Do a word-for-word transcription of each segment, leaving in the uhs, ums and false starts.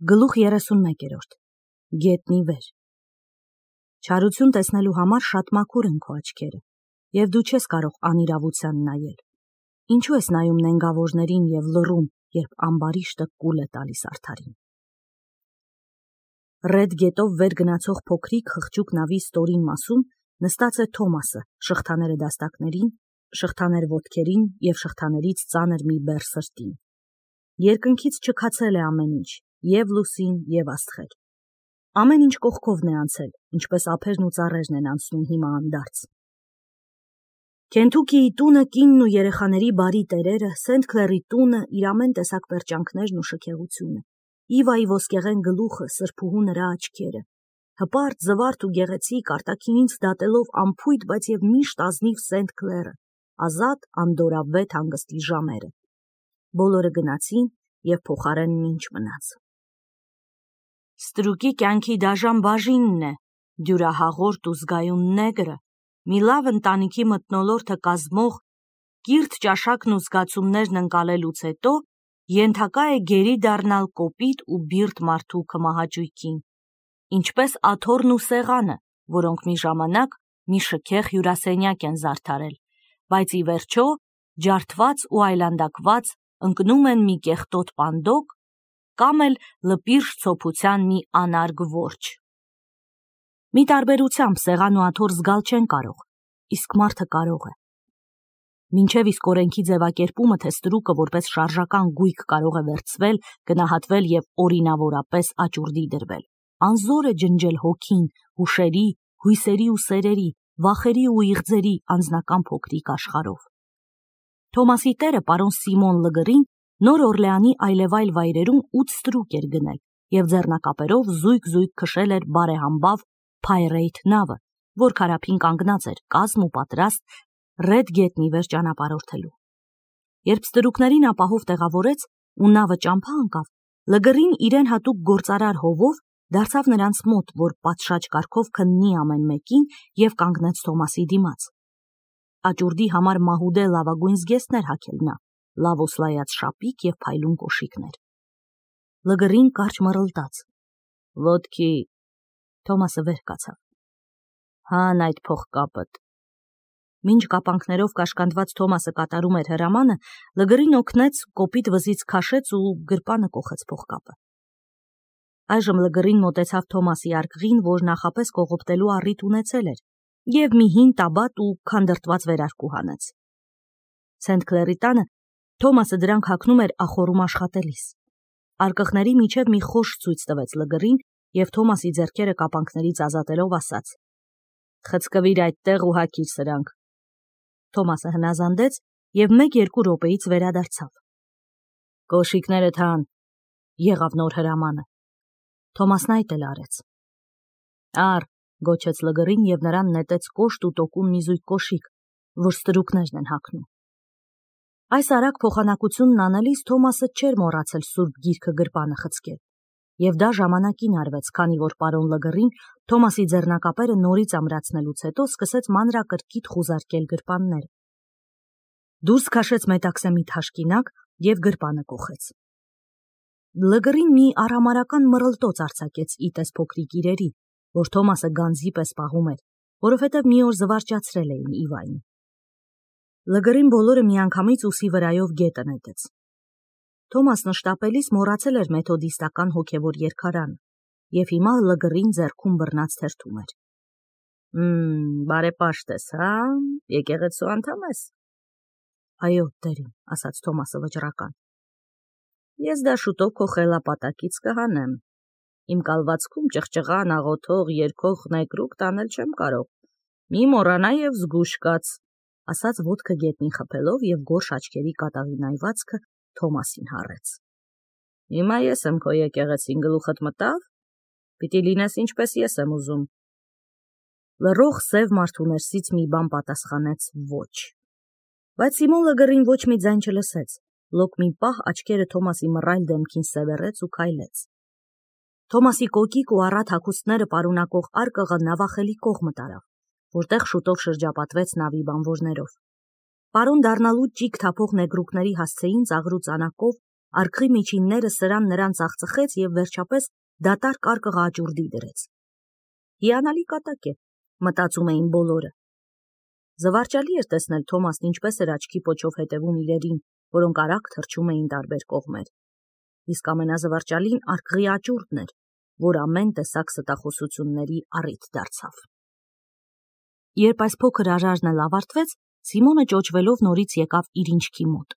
Գլուխ երեսունմեկերորդ Գետնի վեր Չարություն տեսնելու համար շատ մաքուր են քո աչքերը, և դու չես կարող անիրավության նայել։ Ինչու ես նայում նենգավորներին և լռում, երբ ամբարիշտը կուլ է տալիս արդարին։ Ռեդ գետով վեր գնացող փոքրիկ խղճուկ նավի ստորին մասում նստած է Թոմասը, շղթաները դաստակներին, շղթաներ ոտքերին և շղթաներից ծանր մի բեռ սրտին։ Երկնքից չքացել է ամեն ինչ, և լուսին, և աստղեր։ Ամեն ինչ կողքովն է անցել, ինչպես ափերն ու ծառերն են անցնում հիմա անդարձ։ Քենթուքիի տունը, կինն ու երեխաների բարի տերերը, Սենթ Քլերի տունը, իր ամեն տեսակ պերճանքներն ու շքեղությունը, Իվայի ոսկեղեն գլուխը, սրբուհու նրա աչքերը, հպարտ, զվարթ ու գեղեցիկ, արտաքինից դատելով անփույթ, բայց և միշտ ազնիվ Սենթ Քլերը, ազատ, անդորավետ հանգստի ժամերը։ Բոլորը գնացին, և փոխարենն ինչ մնաց։ Ստրուկի կյանքի դաժան բաժինն է, դյուրահաղորդ ու զգայուն նեգրը, մի լավ ընտանիքի մթնոլորտը կազմող, կիրթ ճաշակն ու զգացումներն ընկալելուց հետո ենթակա է գերի դառնալ կոպիտ ու բիրտ մարդու քմահաճույքին, ինչպես աթոռն ու սեղանը, որոնք մի ժամանակ մի շքեղ հյուրասենյակ են զարդարել, բայց ի վերջո, ջարդված ու այլանդակված, ընկնում են մի կեղտոտ պանդոկ կամ էլ լպիրշ ցոփության մի անարգ որջը։ Մի տարբերությամբ սեղան ու աթոռ զգալ չեն կարող, իսկ մարդը կարող է։ Մինչև իսկ օրենքի ձևակերպումը, թե ստրուկը որպես շարժական գույք կարող է վերցվել, գնահատվել և օրինավորապես աճուրդի դրվել, անզոր է ջնջել հոգին, հուշերի, հույսերի ու սերերի, վախերի ու իղձերի անձնական փոքրիկ աշխարհով։ Թոմասի տերը, պարոն Սիմոն Լգրին, Նոր Օրլեանի այլևայլ վայրերում ութ ստրուկ էր գնել և ձեռնակապերով զույգ-զույգ քշել էր բարեհամբավ Փայրեյթ նավը, որ քարափին կանգնած էր, կազմ ու պատրաստ Ռեդ գետնի վեր ճանապարհորդելու։ Երբ ստրուկներին ապահով տեղավորեց ու նավը ճամփա ընկավ, Լգրին իրեն հատուկ գործարար հովով դարձավ նրանց մոտ, որ պատշաճ կարգով քննի ամեն մեկին և կանգնեց Թոմասի դիմաց։ Աճուրդի համար մահուդե լավագույն զգեստներ հագել նա, լավ օսլայած շապիկ և փայլուն կոշիկներ։ Լգրին կարճ մռլտաց։ Ոտքի… Թոմասը վեր կացավ։ Հան այդ փողկապդ։ Մինչ կապանքներով կաշկանդված Թոմասը կատարում էր հրամանը, Լգրին օգնեց, կոպիտ վզից քաշեց ու գրպանը կոխեց փողկապը։ Այժմ Լգրին մոտեցավ Թոմասի արկղին, որ նախապես կողոպտելու առիթ ունեցել էր, և մի հին տաբատ ու քանդրտված վերարկու հանեց։ Սենթ Քլերի տանը Թոմասը դրանք հագնում էր ախոռում աշխատելիս։ Արկղների միջև մի խորշ ցույց տվեց Լգրին և Թոմասի ձեռքերը կապանքներից ազատելով ասաց. «Խցկվիր այդտեղ ու հագիր սրանք»։ Թոմասը հնազանդեց և մեկ-երկու րոպեից վերադարձավ։ «Կոշիկներդ հան», եղավ նոր հրամանը։ Թոմասն այդ էլ արեց։ «Առ», գոչեց Լգրին և նրան նետեց կոշտ ու տոկուն մի զույգ կոշիկ, որ ստրուկներն են հագնում։ Այս արագ փոխանակությունն անելիս Թոմասը չէր մոռացել սուրբ գիրքը գրպանը խցկել, և դա ժամանակին արվեց, քանի որ պարոն Լգրին Թոմասի ձեռնակապերը նորից ամրացնելուց հետո սկսեց մանրակրկիտ խուզարկել գրպանները։ Դուրս քաշեց մետաքսե մի թաշկինակ և գրպանը կոխեց։ Լգրին մի արհամարհական մռլտոց արձակեց ի տես փոքրիկ իրերի, որ Թոմասը գանձի պես պահում էր, որովհետև մի օր զվարճացրել էին Իվային։ Լգրին բոլորը միանգամից ուսի վրայով գետը նետեց։ Թոմասն շտապելիս մոռացել էր մեթոդիստական հոգևոր երգարանը, և հիմա Լգրին ձեռքում բռնած թերթում էր։ «Մմ, բարեպաշտ ես, հա՞, եկեղեցու անդամ ես»։ «Այո, տերին», ասաց Թոմասը վճռական։ «Ես դա շուտով քո խելապատակից կհանեմ։ Իմ կալվածքում ճղճղան, աղոթող, երգող նեկրուկ տանել չեմ կարող։ Մի մոռանա և զգույշ կաց», ասաց ոտքը գետնին խփելով և գորշ աչքերի կատաղի նայվածքը Թոմասին հառեց։ «Հիմա ես եմ քո եկեղեցին, գլուխդ մտա՞վ։ Պիտի լինես ինչպես ես եմ ուզում»։ Լռող սև մարդու ներսից մի բան պատասխանեց ոչ։ Բայց Սիմոն Լգրին ոչ մի ձայն չլսեց, լոկ մի պահ աչքերը Թոմասի մռայլ դեմքին սևեռեց ու քայլեց։ Թոմասի կոկիկ ու առատ հագուստները պարունակող արկղը նավախելի կողմը տարավ, որտեղ շուտով շրջապատվեց նավի բանվորներով։ Պարոն դառնալու ճիգ թափող նեգրուկների հասցեին ծաղրու ծանակով Արկղի միջինները սրան նրան ծախծխեց և վերջապես դատարկ արկղը աճուրդի դրեց։ Հիանալի կատակ է, մտածում էին բոլորը։ Զվարճալի էր տեսնել Թոմասն ինչպես էր աչքի պոչով հետևում իրերին, որոնք արագ թռչում էին տարբեր կողմեր։ Իսկ ամենազվարճալին արկղի աճուրդն էր, որ ամեն տեսակ ստախոսությունների առիթ դարձավ։ Երբ այս փոքր արարն էլ ավարտվեց, Սիմոնը ճոճվելով նորից եկավ իր ինչքի մոտ։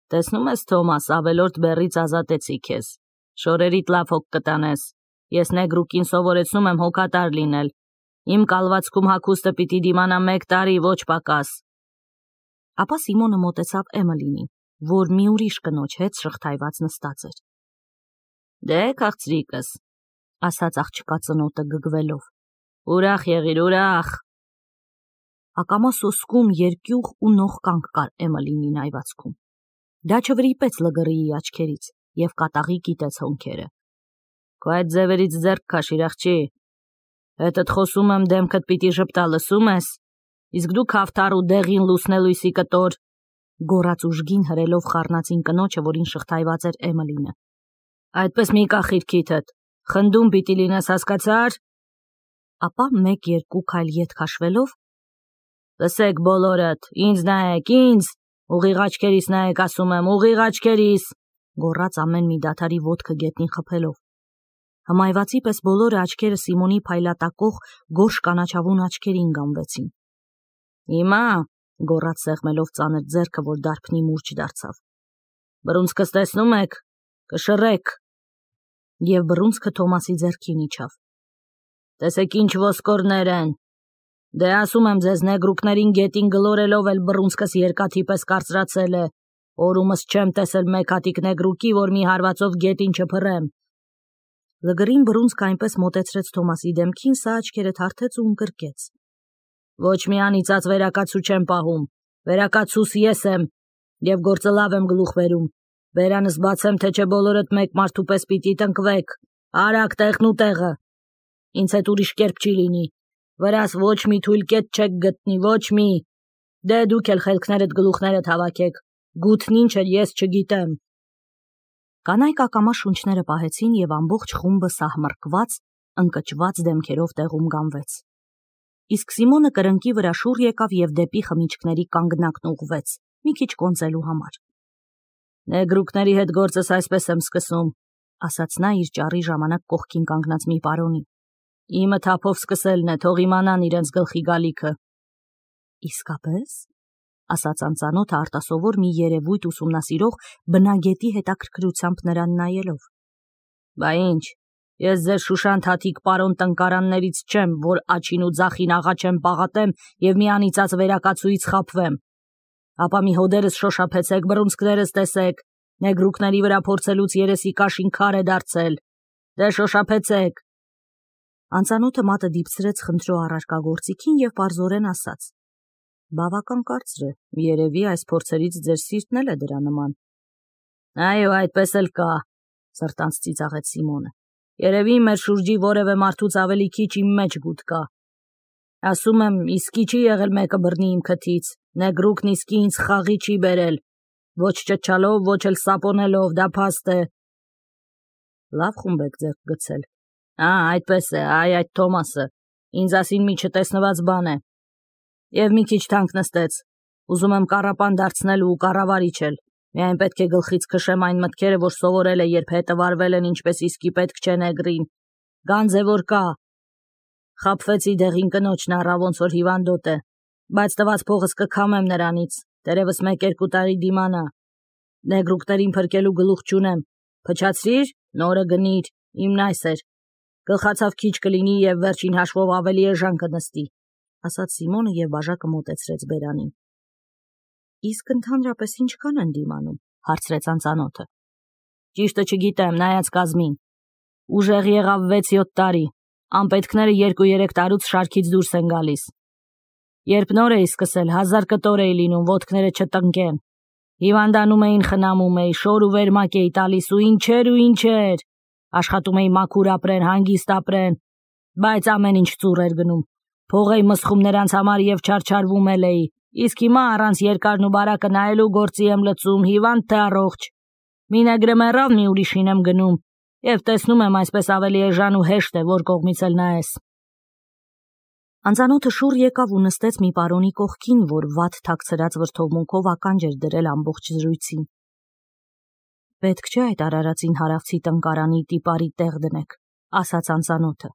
Տեսնում ես, Թոմաս, ավելորդ բեռից ազատեցի քեզ։ Շորերիդ լավ հոգ կտանես։ Ես նեգրուկին սովորեցնում եմ հոգատար լինել։ Իմ կալվածքում հագուստը պիտի դիմանա մեկ տարի, ոչ պակաս։ Ապա Սիմոնը մոտեցավ Էմելինին, որ մի ուրիշ կնոջ հետ շղթայված նստած էր։ Դե, քաղցրիկս, ասաց աղջկա ծնոտը գգվելով։ Ուրախ եղիր, ուրախ։ Ակամա սոսկում երկյուղ ու նողկանք կար Էմելինի նայվածքում։ Դա չվրիպեց լգռիի աչքերից և կատաղի կիտեց հոնքերը։ Քո այդ ձևերից ձեռք քաշիր, աղջի։ Հետդ խոսում եմ, դեմքդ պիտի ժպտա, լսում ես։ Իսկ դու քավթար ու դեղին լուսնելույսի կտոր, գոռաց ուժգին հրելով խառնածին կնոջը, որին շղթայված էր Էմելինը։ Այդպես մի կախիր քիթդ, խնդում պիտի լինես, հասկացար։ Ապա մեկ-երկու քայլ ետ քաշվելով. Լսեք բոլորդ, ինձ նայեք, ինձ, ուղիղ աչքերիս նայեք, ասում եմ, ուղիղ աչքերիս, գոռաց ամեն մի դադարի ոտքը գետնին խփելով։ Հմայվածի պես բոլորը աչքերը Սիմոնի փայլատակող գորշ կանաչավուն աչքերին գանվեցին։ Հիմա, գոռաց սեղմելով ծանր ձեռքը, որ դարբնի մուրջ դարձավ։ Բռունցքս տեսնում եք, կշռեք։ Եվ բռունցքը Թոմասի ձեռքին իջավ։ Տեսեք ինչ ոսկորներ են։ Դե ասում եմ ձեզ, նեգրուկներին գետին գլորելով էլ բռունցքս երկաթի պես կարծրացել է։ Օրումս չեմ տեսել մեկ հատիկ նեգրուկի, որ մի հարվածով գետին չփռեմ։ Լգրին բռունցքը այնպես մոտեցրեց Թոմասի դեմքին, սա աչքերը թարթեց ու ընկրկեց։ Ոչ մի անիծած վերակացու չեմ պահում, վերակացուս ես եմ, և գործը լավ եմ գլուխ վերում։ Բերանս բացեմ, թե չէ բոլորդ մեկ մարդու պես պիտի տնկվեք։ Արագ տեղն ու տեղը։ Ինձ հետ ուրիշ կերպ չի լինի։ Վրաս ոչ մի թույլ կետ չեք գտնի, ոչ մի։ Դե դուք էլ խելքներդ գլուխներդ հավաքեք։ Գութն ինչ է, ես չգիտեմ։ Կանայք ակամա շունչները պահեցին և ամբողջ խումբը սահմռկված, ընկճված դեմքերով տեղում գանվեց։ Իսկ Սիմոնը կրնկի վրա շուռ եկավ և դեպի խմիչքների կանգնակն ուղղվեց, մի քիչ կոնծելու համար։ Նեգրուկների հետ գործս այսպես եմ սկսում, ասաց նա իր ճառի ժամանակ կողքին կանգնած մի պարոնի։ Իմը թափով սկսելն է, թող իմանան իրենց գլխի գալիքը։ Իսկապես, ասաց անծանոթը արտասովոր մի երևույթ ուսումնասիրող բնագետի հետաքրքրությամբ նրան նայելով։ Բա ինչ, ես ձեր շուշանտ հատիկ պարոն տնկարաններից չեմ, որ աչին ու ձախին աղա չեմ պաղատեմ և մի անիծած վերակացուից խաբվեմ։ Ապա մի հոդերս շոշափեցեք, բռունցքներս տեսեք, նեգրուկների վրա փորձելուց երեսի կաշին քար է դարձել։ Դե շոշափեցեք։ Անծանոթը մատը դիպցրեց խնդրո առարկագործիքին և պարզորեն ասաց. Բավական կարծր է, երևի այս փորձերից ձեր սիրտն էլ է դրա նման։ Այո, այդպես էլ կա, սրտանց ծիծաղեց Սիմոնը։ Երևի մեր շուրջի որևէ մարդուց ավելի քիչ իմ մեջ գութ կա։ Ասում եմ, իսկի չի եղել մեկը բռնի իմ քթից, նեգրուկն իսկի ինձ խաղի չի բերել, ոչ ճչալով, ոչ էլ սապոնելով, դա փաստ է։ Լավ խումբ եք ձեռք գցել։ Ա, այդպես է, այ այդ Թոմասը, ինձ ասին մի չտեսնված բան է։ Եվ մի քիչ թանկ նստեց, ուզում եմ կառապան դարձնել ու կառավարիչ էլ, միայն պետք է գլխից քշեմ այն մտքերը, որ սովորել է, երբ հետը վարվել են, ինչպես իսկի պետք չէ նեգրին։ Գանձ է, որ կա։ Խաբվեցի դեղին կնոջն առա, ոնց որ հիվանդոտ է, բայց տված փողս կքամեմ նրանից, դերևս մեկ-երկու տարի դիմանա։ Նեգրուկներին փրկելու գլուխ չունեմ, փչացրիր, նորը գնիր, իմն այս էր։ Գլխացավ քիչ կլինի և վերջին հաշվով ավելի էժան կնստի, ասաց Սիմոնը և բաժակը մոտեցրեց բերանին։ Իսկ ընդհանրապես ինչքան են դիմանում, հարցրեց անծանոթը։ Ճիշտը չգիտեմ, նայած կազմին։ Ուժեղ եղավ վեց-յոթ տարի, անպետքները երկու-երեք տարուց շարքից դուրս են գալիս։ Երբ նոր էի սկսել, հազար կտոր էի լինում, ոտքները չտնկեն։ Հիվանդանում էին, խնամում էի, շոր ու վերմակ էի տալիս ու ինչեր ու ինչեր։ Աշխատում էի մաքուր ապրեն, հանգիստ ապրեն, բայց ամեն ինչ ծուռ էր գնում։ Փող էի մսխում նրանց համար և չարչարվում էլ էի, իսկ հիմա առանց երկարն ու բարակը նայելու գործի եմ լծում, հիվանդ թե առողջ։ Մինեգրը մեռավ, մի ուրիշին եմ գնում, և տեսնում եմ այսպես ավելի էժան ու հեշտ է, որ կողմից էլ նայես։ Անծանոթը շուռ եկավ ու նստեց մի պարոնի կողքին, որ վատ թաքցրած վրդովմունքով ականջ էր դրել ամբողջ զրույցին։ Պետք չէ այդ արարածին հարավցի տնկարանի տիպարի տեղ դնեք, ասաց անծանոթը։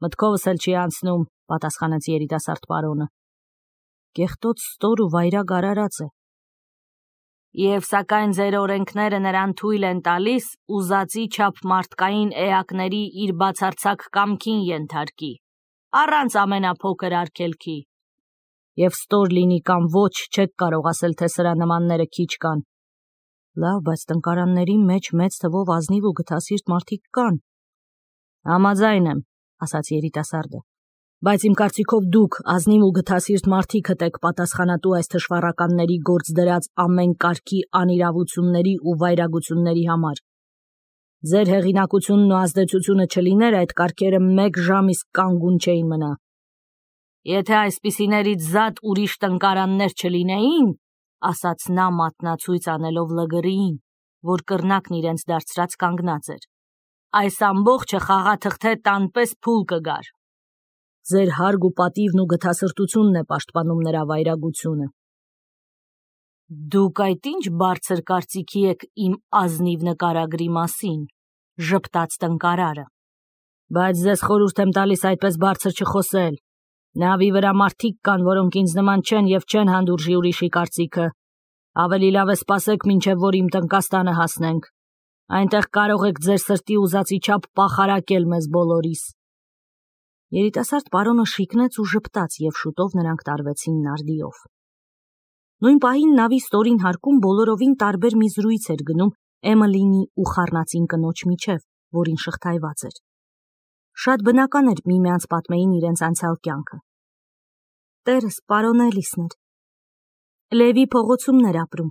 Մտքովս էլ չի անցնում, պատասխանեց երիտասարդ պարոնը։ Կեղտոտ ստոր ու վայրագ արարած է։ Եվ սակայն ձեր օրենքները նրան թույլ են տալիս ուզածի չափ մարդկային էակների իր բացարձակ կամքին ենթարկի, առանց ամենափոքր արգելքի։ Եվ ստոր լինի կամ ոչ, չեք կարող ասել, թե սրա նմանները քիչ կան։ Լավ, բայց տնկարանների մեջ մեծ թվով ազնիվ ու գթասիրտ մարդիկ կան։ Համաձայն եմ, ասաց երիտասարդը, բայց իմ կարծիքով դուք ազնիվ ու գթասիրտ մարդիկդ եք պատասխանատու այս թշվառականների գործ դրած ամեն կարգի անիրավությունների ու վայրագությունների համար։ Ձեր հեղինակությունն ու ազդեցությունը չլիներ, այդ կարգերը մեկ ժամ իսկ կանգուն չէին մնա։ Եթե այսպիսիներից զատ ուրիշ տնկարաններ չլինեին, ասաց նա մատնացույց անելով լգրիին, որ կռնակն իրենց դարձրած կանգնած էր, այս ամբողջը խաղաթղթե տանպես փուլ կգար։ Ձեր հարգ ու պատիվն ու գթասրտությունն է պաշտպանում նրա վայրագությունը։ Դուք այդ ինչ բարձր կարծիքի եք իմ ազնիվ նկարագրի մասին, ժպտաց տնկարարը։ Բայց ձեզ խորհուրդ եմ տալիս այդպես բարձր չխոսել։ Նավի վրա մարդիկ կան, որոնք ինձ նման չեն և չեն հանդուրժի ուրիշի կարծիքը։ Ավելի լավ է սպասեք, մինչև որ իմ տնկաստանը հասնենք։ Այնտեղ կարող եք ձեր սրտի ուզածի չափ պախարակել մեզ բոլորիս։ Երիտասարդ պարոնը շիկնեց ու ժպտաց, և շուտով նրանք տարվեցին նարդիով։ Նույն պահին նավի ստորին հարկում բոլորովին տարբեր մի զրույց էր գնում Էմելինի ու խառնածին կնոջ միջև, որին շղթայված էր։ Շատ բնական էր միմյանց պատմեին իրենց անցյալ կյանքը։ Տերս պարոն Էլիսն էր։ Լևի փողոցումն էր ապրում։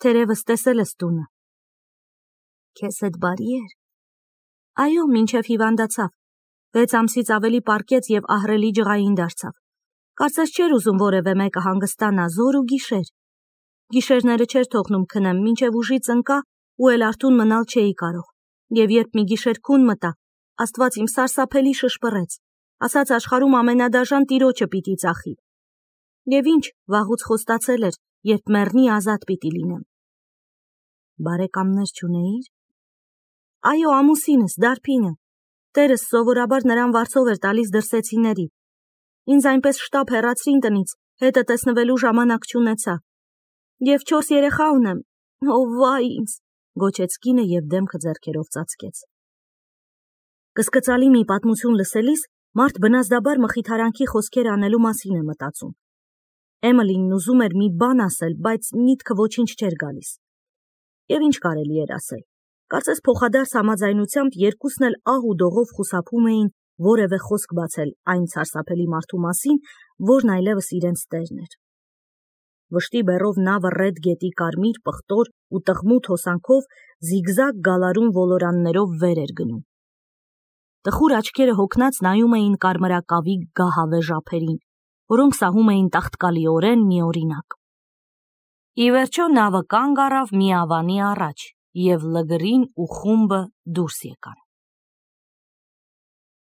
Թերևս տեսել ես տունը։ Քեզ հետ բարի էր։ Այո, մինչև հիվանդացավ։ Վեց ամսից ավելի պառկեց և ահռելի ջղային դարձավ։ Կարծես չէր ուզում որևէ մեկը հանգստանա, զոր ու գիշեր։ Գիշերները չէր թողնում քնեմ, մինչև ուժից ընկա ու էլ արթուն մնալ չէի կարող։ Եվ երբ մի գիշեր քուն մտա, Աստված իմ սարսափելի շշպռեց, ասաց աշխարհում ամենադաժան տիրոջը պիտի ծախի։ Եվ ինչ, վաղուց խոստացել էր, երբ մեռնի ազատ պիտի լինեմ։ Բարեկամներ չունեիր։ Այո, ամուսինս, Դարփինը։ Տերս սովորաբար նրան վարձով էր տալիս դրսեցիների։ Ինձ այնպես շտապ հեռացրին տնից, հետը տեսնվելու ժամանակ չունեցա։ Եվ չորս երեխա ունեմ։ Ո վայ ինձ, գոչեց կինը և դեմքը ձեռքերով ծածկեց։ Կսկծալի մի պատմություն լսելիս մարդ բնազդաբար մխիթարանքի խոսքեր անելու մասին է մտածում։ Էմելինն ուզում էր մի բան ասել, բայց միտքը ոչինչ չէր գալիս։ Եվ ինչ կարելի էր ասել։ Կարծես փոխադարձ համաձայնությամբ երկուսն էլ ահ ու դողով խուսափում էին որևէ խոսք բացել այն սարսափելի մարդու մասին, որն այլևս իրենց տերն էր։ Վշտի բեռով նավը ռեդ գետի կարմիր, պղտոր ու տղմութ հոսանքով զիգզագ գալարուն ոլորաններով վեր էր գնում։ Տխուր աչքերը հոգնած նայում էին կարմրակավի գահավեժ ափերին, որոնք սահում էին տաղտկալիորեն միօրինակ։ Ի վերջո նավը կանգ առավ մի ավանի առաջ, և լգրին ու խումբը դուրս եկան։